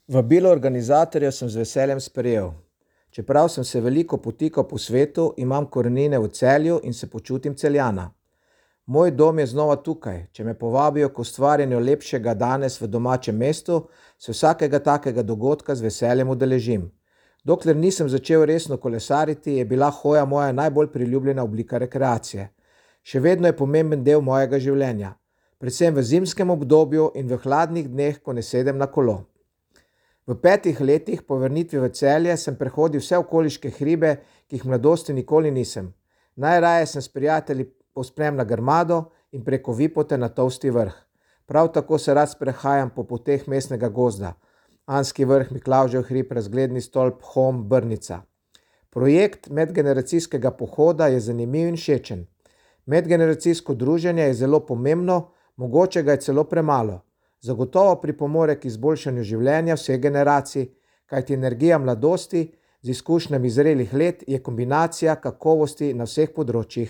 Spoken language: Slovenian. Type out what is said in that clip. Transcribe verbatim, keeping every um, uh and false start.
Vabilo organizatorjev sem z veseljem sprejel. Čeprav sem se veliko potikal po svetu, imam korenine v Celju in se počutim Celjana. Moj dom je znova tukaj. Če me povabijo k ustvarjanju lepšega danes v domačem mestu, se vsakega takega dogodka z veseljem udeležim. Dokler nisem začel resno kolesariti, je bila hoja moja najbolj priljubljena oblika rekreacije. Še vedno je pomemben del mojega življenja. Predvsem v zimskem obdobju in v hladnih dneh, ko ne sedem na kolo. V petih letih po vrnitvi v Celje sem prehodil vse okoliške hribe, ki jih v mladosti nikoli nisem. Najraje sem s prijatelji povzpnem na Grmado in preko Vipote na Tolsti vrh. Prav tako se rad sprehajam po poteh mestnega gozda. Anski vrh, Miklavžev hrib, razgledni stolp, Hom, Brnica. Projekt medgeneracijskega pohoda je zanimiv in všečen. Medgeneracijsko druženje je zelo pomembno, mogoče ga je celo premalo. Zagotovo pripomore k izboljšanju življenja vseh generacij, kajti energija mladosti z izkušnjami zrelih let je kombinacija kakovosti na vseh področjih.